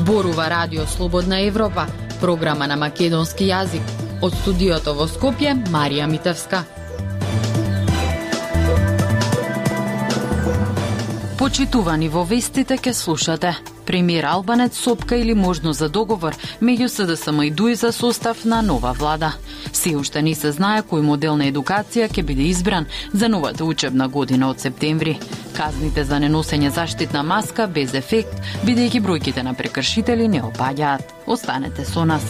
Зборува Радио Слободна Европа, програма на македонски јазик. Од студиото во Скопје, Марија Митевска. Почитувани во вестите ке слушате. Премиер Албанец сопка или можност за договор меѓу СДСМ и ДУИ за состав на нова влада. Се уште не се знае кој модел на едукација ќе биде избран за новата учебна година од септември. Казните за неносење заштитна маска без ефект, бидејќи бројките на прекршители не опаѓаат. Останете со нас.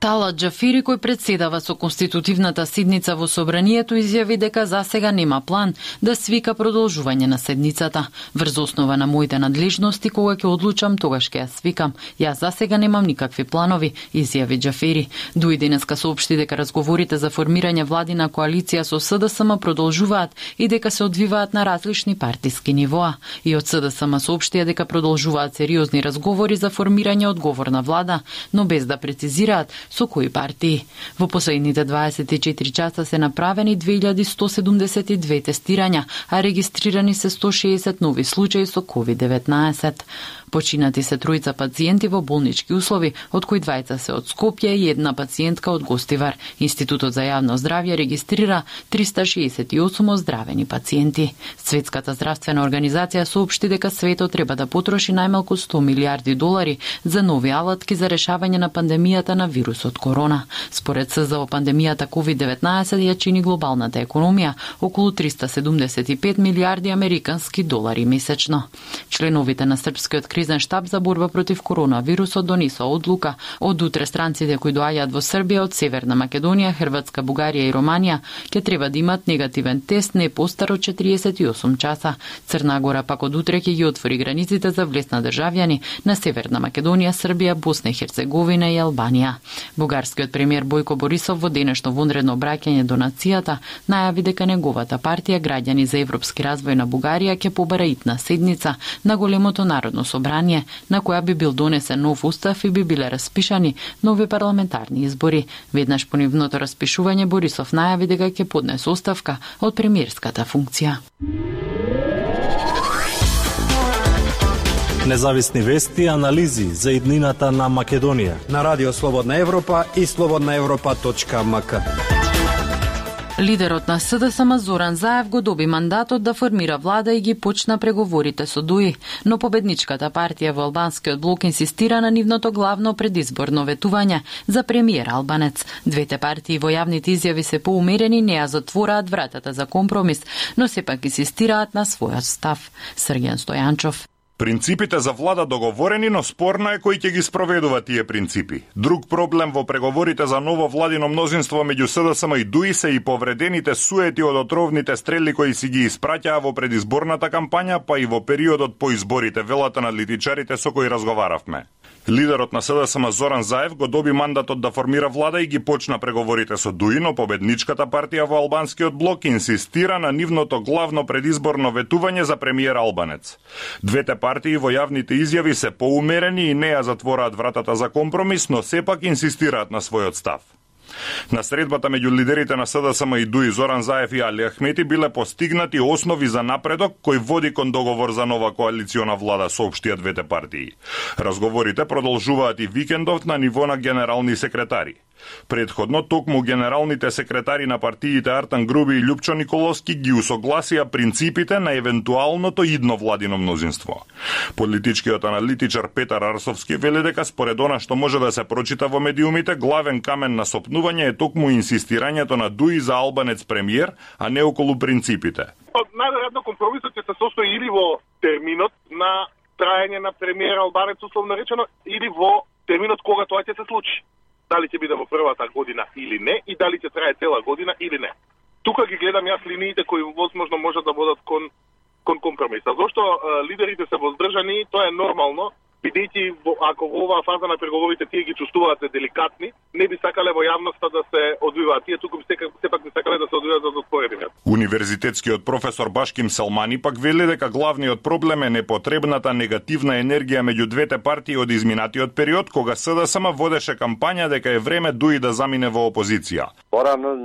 Талат Џафири, кој председава со конститутивната седница во Собранието, изјави дека засега нема план да свика продолжување на седницата. Врз основа на моите надлежности, кога ќе одлучам, тогаш ќе ја свикам. Јас засега немам никакви планови, изјави Џафири. ДУИ денеска соопшти дека разговорите за формирање владина коалиција со СДСМ продолжуваат и дека се одвиваат на различни партиски нивоа. И од СДСМ соопштија дека продолжуваат сериозни разговори за формирање одговорна влада, но без да прецизираат со кои партии. Во последните 24 часа се направени 2172 тестирања, а регистрирани се 160 нови случаи со COVID-19. Починати се тројца пациенти во болнички услови, од кои двајца се од Скопје и една пациентка од Гостивар. Институтот за јавно здравје регистрира 368 оздравени пациенти. Светската здравствена организација соопшти дека светот треба да потроши најмалку 100 милиарди долари за нови алатки за решавање на пандемијата на вирусот корона. Според СЗО, пандемијата COVID-19 ја чини глобалната економија околу 375 милиарди американски долари месечно. Членовите на Српскиот кризен штаб за борба против коронавирусот донесоа одлука од утре странците кои доаѓаат во Србија од Северна Македонија, Хрватска, Бугарија и Романија ќе треба да имат негативен тест не постар од 48 часа. Црна Гора пак од утре ќе ги отвори границите за влез на државјани на Северна Македонија, Србија, Босна и Херцеговина и Албанија. Бугарскиот премиер Бојко Борисов во денешно вонредно обраќање до нацијата најави дека неговата партија Граѓани за европски развој на Бугарија ќе побара итна седница на големото народно собрание, на која би бил донесен нов устав и би биле распишани нови парламентарни избори. Веднаш по нивното распишување Борисов најави дека ќе поднесе оставка од премиерската функција. Независни вести и анализи за иднината на Македонија на Радио Слободна Европа и slobodnaevropa.mk. Лидерот на СДСМ Зоран Заев го доби мандатот да формира влада и ги почна преговорите со ДУИ, но победничката партија во албанскиот блок инсистира на нивното главно предизборно ветување за премиер Албанец. Двете партии во јавните изјави се поумерени, не ја затвораат вратата за компромис, но сепак инсистираат на својот став. Срѓан Стојанчов. Принципите за влада договорени, но спорно е кој ќе ги спроведува тие принципи. Друг проблем во преговорите за ново владино мнозинство меѓу СДСМ и ДУИ се и повредените суети од отровните стрели кои си ги испраќаа во предизборната кампања, па и во периодот по изборите, велат аналитичарите со кои разговаравме. Лидерот на СДСМ Зоран Заев го доби мандатот да формира влада и ги почна преговорите со ДУИ, но победничката партија во албанскиот блок инсистира на нивното главно предизборно ветување за премиер Албанец. Двете партии во јавните изјави се поумерени и не ја затвораат вратата за компромис, но сепак инсистираат на својот став. На средбата меѓу лидерите на СДСМ и ДУИ Зоран Заев и Али Ахмети биле постигнати основи за напредок кој води кон договор за нова коалициона влада, соопштија двете партии. Разговорите продолжуваат и викендов на ниво на генерални секретари. Предходно, токму генералните секретари на партиите Артан Груби и Љупчо Николовски ги усогласија принципите на евентуалното идно владино мнозинство. Политичкиот аналитичар Петар Арсовски вели дека според она што може да се прочита во медиумите, главен камен на сопнување е токму инсистирањето на ДУИ за Албанец премиер, а не околу принципите. Најверојатно компромисот ќе се состои или во терминот на траење на премиер Албанец, условно речено, или во терминот кога тоа ќе се случи. Дали ќе биде во првата година или не, и дали ќе трае цела година или не. Тука ги гледам јас линиите кои возможно можат да бодат кон компромиса. Зошто лидерите се воздржани, тоа е нормално, бидејќи ако во оваа фаза на преговорите тие ги чувствуваат деликатни, не би сакале во јавноста да се одвиваат тие, туку сепак би сакале да се одвиваат за затворени. Универзитетскиот професор Башким Селмани пак вели дека главниот проблем е непотребната негативна енергија меѓу двете партии од изминатиот период, кога СДСМ водеше кампања дека е време ДУИ да замине во опозиција. Порано,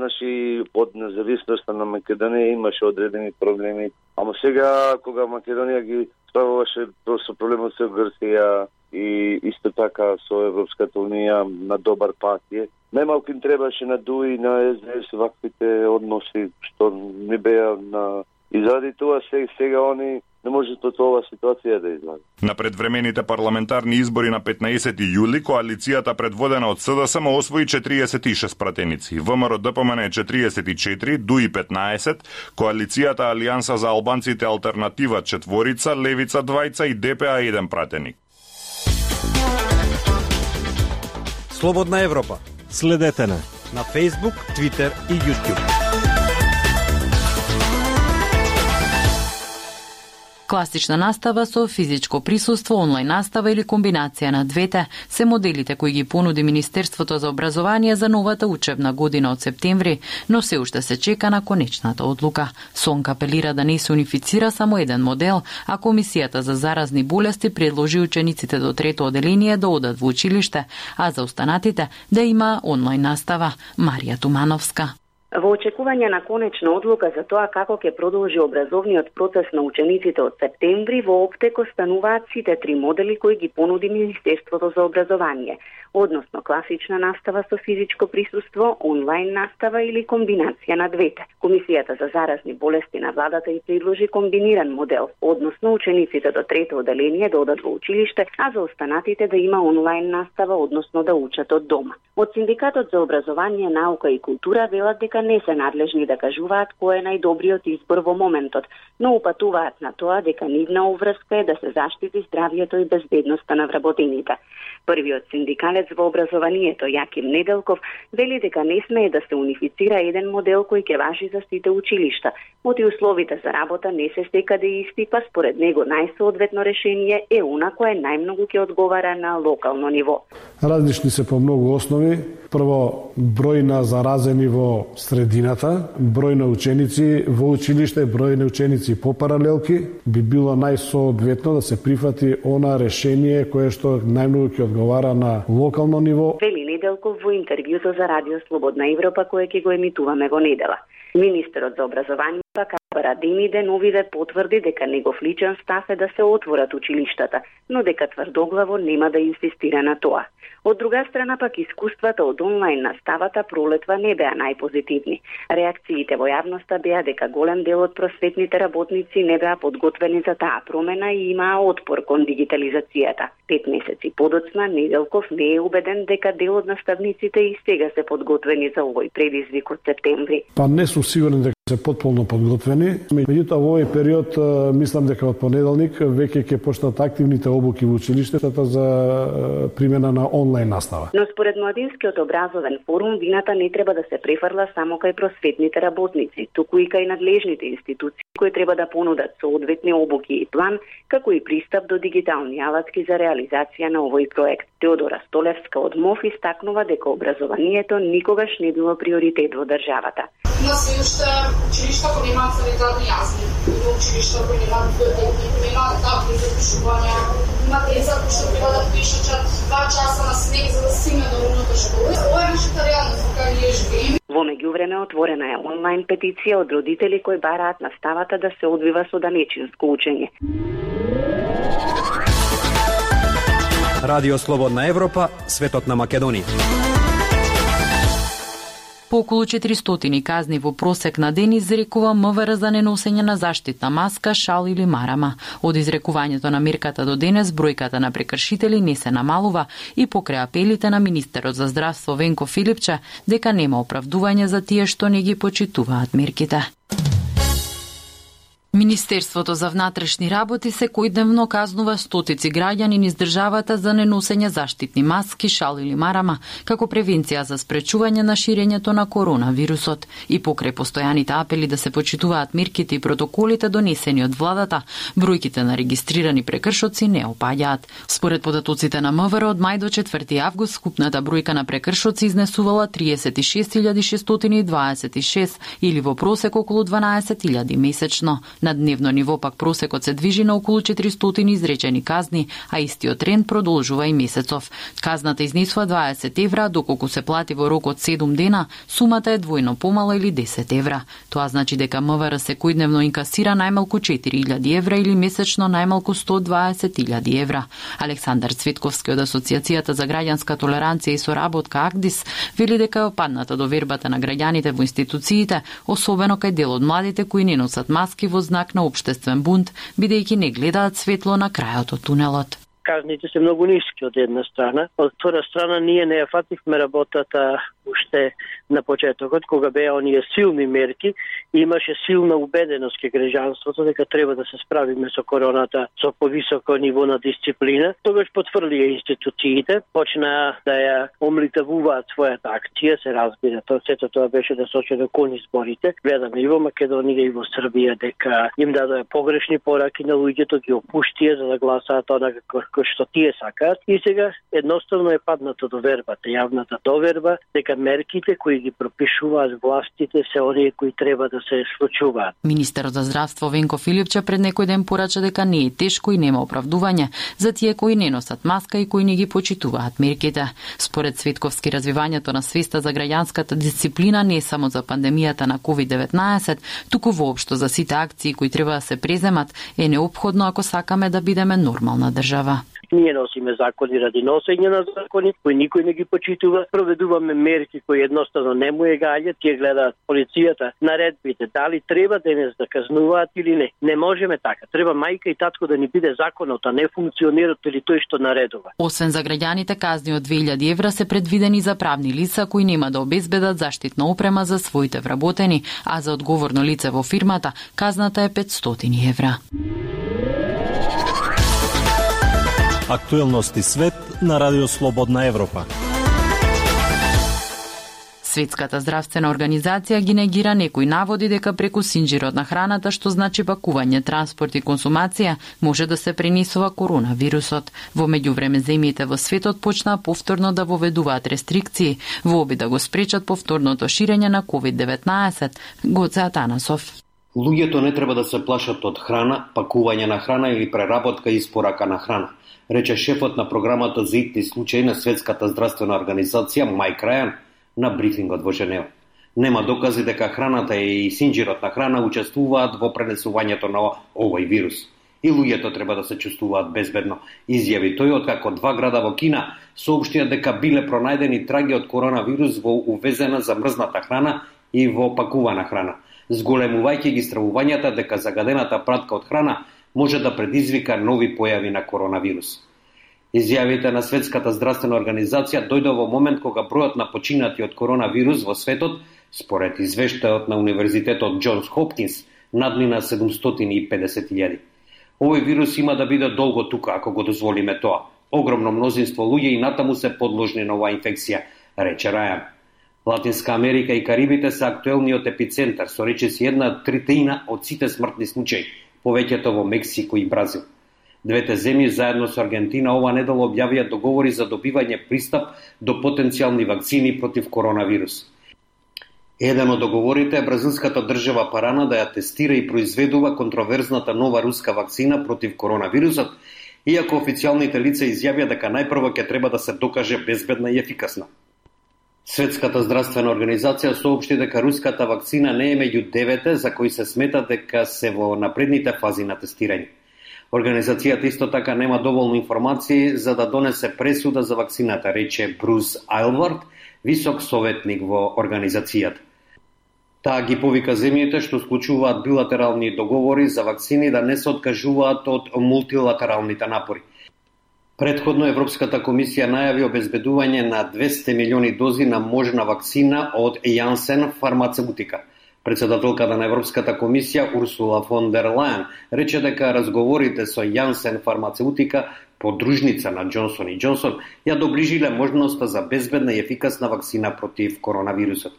од независноста на Македонија имаше одредени проблеми, ама сега кога Македонија ги справуваше со проблемот со Грција и исто така со Европската унија на добар пат е. Најмалку им требаше на ДУИ, на СДС ваквите односи што не беа на... И заради тоа сега они не можат од оваа ситуација да излазат. На предвремените парламентарни избори на 15 јули коалицијата предводена од СДСМ освои 46 пратеници, ВМРО ДПМН 44, ДУИ 15, коалицијата Алијанса за албанците Алтернатива 4, Левица 2 и ДПА 1 пратеник. Слободна Европа. Следете на Facebook, Twitter и YouTube. Класична настава со физичко присуство, онлайн настава или комбинација на двете се моделите кои ги понуди Министерството за образование за новата учебна година од септември, но се уште се чека на конечната одлука. СОНК апелира да не се унифицира само еден модел, а Комисијата за заразни болести предложи учениците до трето оделение да одат во училиште, а за останатите да има онлайн настава. Марија Тумановска. Во очекување на конечна одлука за тоа како ќе продолжи образовниот процес на учениците од септември, во оптек остануваат сите три модели кои ги понуди Министерството за образование, односно класична настава со физичко присуство, онлайн настава или комбинација на двете. Комисијата за заразни болести на владата и предложи комбиниран модел, односно учениците до трето оделение да одат во училиште, а за останатите да има онлайн настава, односно да учат од дома. Од Синдикатот за образование, наука и култура велат дека не се надлежни да кажуваат кој е најдобриот избор во моментот, но упатуваат на тоа дека нивна обврска е да се заштити здравјето и безбедноста на вработените. Првиот синдикалец во образованието, Јаким Неделков, вели дека не смее да се унифицира еден модел кој ќе важи за сите училишта, оти условите за работа не се секаде исти, па според него најсоодветно решение е она кое најмногу ќе одговара на локално ниво. Различни се по многу основи. Прво, број на заразени во средината, број на ученици во училиште, број на ученици по паралелки, би било најсоодветно да се прифати она решение кое што најмногу ќе одговара на локално ниво. Вели Неделков во интервјуто за Радио Слободна Европа кое ќе го емитуваме во недела. Министерот за образование Капара Демиде Новиде потврди дека негов личен став е да се отворат училиштата, но дека тврдоглаво нема да инсистира на тоа. Од друга страна пак искуствата од онлайн наставата пролетва не беа најпозитивни. Реакциите во јавноста беа дека голем дел од просветните работници не беа подготвени за таа промена и имаа отпор кон дигитализацијата. 5 месеци подоцна Неделков не е убеден дека дел од наставниците и сега се подготвени за овој предизвик од септември. Па не сум сигурен дека се потполно подготвени. Меѓутоа во овој период мислам дека од понеделник веќе ќе почнат активните обуки во училиштата за примена на онлайн настава. Но според Младинскиот образовен форум вината не треба да се префрла само кај просветните работници, туку и кај надлежните институции кои треба да понудат соодветни обуки и план, како и пристап до дигитални алатки за реализација на овој проект. Теодора Столевска од МОФ истакнува дека образованието никогаш не било приоритет во државата. Има се уште училишта кои немаат санитарни јазни, има училишта кои немаат табли за пишување, има деца кои што треба да пишат 2 часа на снег за да стигне до умната школа. Ова е нашата реалност во која ние живееме. Во меѓувреме отворена е онлайн петиција од родители кои бараат наставата да се одвива со данечинско учење. Радио Слободна Европа, светот на Македонија. По околу 400 казни во просек на ден изрекува МВР за неносење на заштитна маска, шал или марама. Од изрекувањето на мерката до денес бројката на прекршители не се намалува и покрај апелите на министерот за здравство Венко Филипче дека нема оправдување за тие што не ги почитуваат мерките. Министерството за внатрешни работи секојдневно казнува стотици граѓани низ државата за неносење заштитни маски, шал или марама, како превенција за спречување на ширењето на коронавирусот. И покрај постојаните апели да се почитуваат мерките и протоколите донесени од владата, бројките на регистрирани прекршоци не опаѓаат. Според податоците на МВР од мај до 4 август скупната бројка на прекршоци изнесувала 36.626 или во просек околу 12.000 месечно. На дневно ниво пак просекот се движи на околу 400 изречени казни, а истиот тренд продолжува и месецов. Казната изнесува 20 евра, доколку се плати во рок од 7 дена, сумата е двојно помала или 10 евра. Тоа значи дека МВР секојдневно инкасира најмалку 4000 евра или месечно најмалку 120.000 евра. Александар Цветковски од Асоциацијата за граѓанска толеранција и соработка АГДИС вели дека е опадната довербата на граѓаните во институциите, особено кај дел од младите кои не носат маски во знак на општествен бунт, бидејќи не гледаат светло на крајот од тунелот. Казните се многу ниски од една страна. Од втора страна ние не ја фативме работата уште на почетокот, кога беа оние силни мерки, имаше силна убеденост кај граѓанството дека треба да се справиме со короната со повисоко ниво на дисциплина. Тогаш потврдија институциите, почнаа да ја омлитавуваат својата акција, се разбира. Сето тоа беше да сочи кон изборите. Гледаме и во Македонија и во Србија дека им дадоа погрешни пораки на луѓето, ги опуштија за да гласаат онака што тие сакаат. И сега едноставно е падната довербата, јавната доверба дека мерките кои ги пропишуваат властите се оние кои треба да се случуваат. Министерот за здравство Венко Филипче пред некој ден порача дека не е тешко и нема оправдување за тие кои не носат маска и кои не ги почитуваат мерките. Според Цветковски, развивањето на свеста за граѓанската дисциплина не е само за пандемијата на COVID-19, туку воопшто за сите акции кои треба да се преземат е неопходно ако сакаме да бидеме нормална држава. Ние носиме закони ради носење на закони, кои никој не ги почитува. Проведуваме мерки кои едноставно не му е гаѓа. Тие гледаат полицијата, наредбите, дали треба денес да казнуваат или не. Не можеме така. Треба мајка и татко да ни биде законот, а не функционерот или тој што наредува. Освен за граѓаните, казни од 2000 евра се предвидени за правни лица кои нема да обезбедат заштитна опрема за своите вработени, а за одговорно лице во фирмата казната е 500 евра. Актуелности свет на Радио Слободна Европа. Светската здравствена организација ги негира некои наводи дека преку синџирот на храната, што значи пакување, транспорт и консумација, може да се пренесува коронавирусот. Во меѓувреме земјите во светот почнаа повторно да воведуваат рестрикции во обид да го спречат повторното ширење на COVID-19. Гоце Атанасов. Луѓето не треба да се плашат од храна, пакување на храна или преработка и испорака на храна, рече шефот на програмата за итни случаи на Светската здравствена организација Майк Рајан на брифингот во Женева. Нема докази дека храната и синџирот на храна учествуваат во пренесувањето на овој вирус. И луѓето треба да се чувствуваат безбедно, изјави тој откако 2 града во Кина соопштија дека биле пронајдени траги од коронавирус во увезена замрзната храна и во пакувана храна, зголемувајќи ги стравувањата дека загадената пратка од храна може да предизвика нови појави на коронавирус. Изјавите на Светската здравствена организација дојде во момент кога бројот на починати од коронавирус во светот, според извештајот на Универзитетот Џонс Хопкинс, надмина 750.000. Овој вирус има да биде долго тука ако го дозволиме тоа. Огромно мнозинство луѓе и натаму се подложни на оваа инфекција, рече Рајан. Латинска Америка и Карибите се актуелниот епицентар, со речиси 1/3 од сите смртни случаи, повеќето во Мексико и Бразил. Двете земји заедно со Аргентина ова недела објавија договори за добивање пристап до потенцијални вакцини против коронавирус. Еден од договорите е бразилската држава Парана да ја тестира и произведува контроверзната нова руска вакцина против коронавирусот, иако официјалните лица изјавија дека најпрво ќе треба да се докаже безбедна и ефикасна. Светската здравствена организација соопшти дека руската вакцина не е меѓу 9 за кои се смета дека се во напредните фази на тестирање. Организацијата исто така нема доволно информации за да донесе пресуда за вакцината, рече Брус Айлвард, висок советник во организацијата. Таа ги повика земјите што склучуваат билатерални договори за вакцини да не се откажуваат од мултилатералните напори. Предходно Европската комисија најави обезбедување на 200 милиони дози на можна вакцина од Janssen фармацевтика. Председателката на Европската комисија Урсула фон дер Лајен рече дека разговорите со Janssen фармацевтика, подружница на Джонсон и Джонсон, ја доближиле можноста за безбедна и ефикасна вакцина против коронавирусот.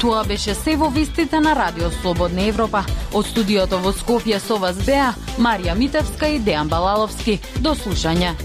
Тоа беше се во вестите на Радио Слободна Европа. Од студиото во Скопје со вас беа Марија Митевска и Дејан Балаловски. До слушање.